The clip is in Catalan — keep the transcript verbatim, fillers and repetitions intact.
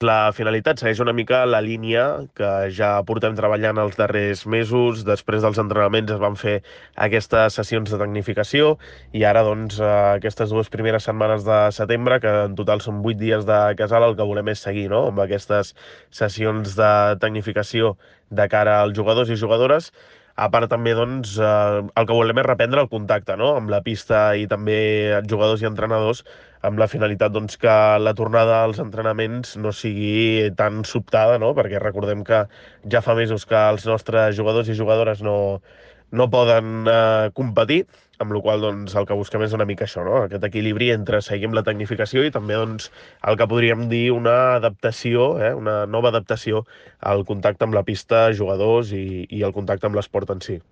La finalitat segueix una mica la línia que ja portem treballant els darrers mesos. Després dels entrenaments es van fer aquestes sessions de tecnificació i ara, doncs, eh, aquestes dues primeres setmanes de setembre, que en total són vuit dies de casal, el que volem és seguir, no?, amb aquestes sessions de tecnificació de cara als jugadors i jugadores. A part també, doncs, eh, el que volem és reprendre el contacte, no?, amb la pista i també jugadors i entrenadors, amb la finalitat, doncs, que la tornada als entrenaments no sigui tan sobtada, no?, perquè recordem que ja fa mesos que els nostres jugadors i jugadores no, no poden eh, competir, amb la qual cosa, doncs, el que busquem és una mica això, no?, aquest equilibri entre seguir amb la tecnificació i també, doncs, el que podríem dir una adaptació, eh, una nova adaptació al contacte amb la pista, jugadors i, i el contacte amb l'esport en si.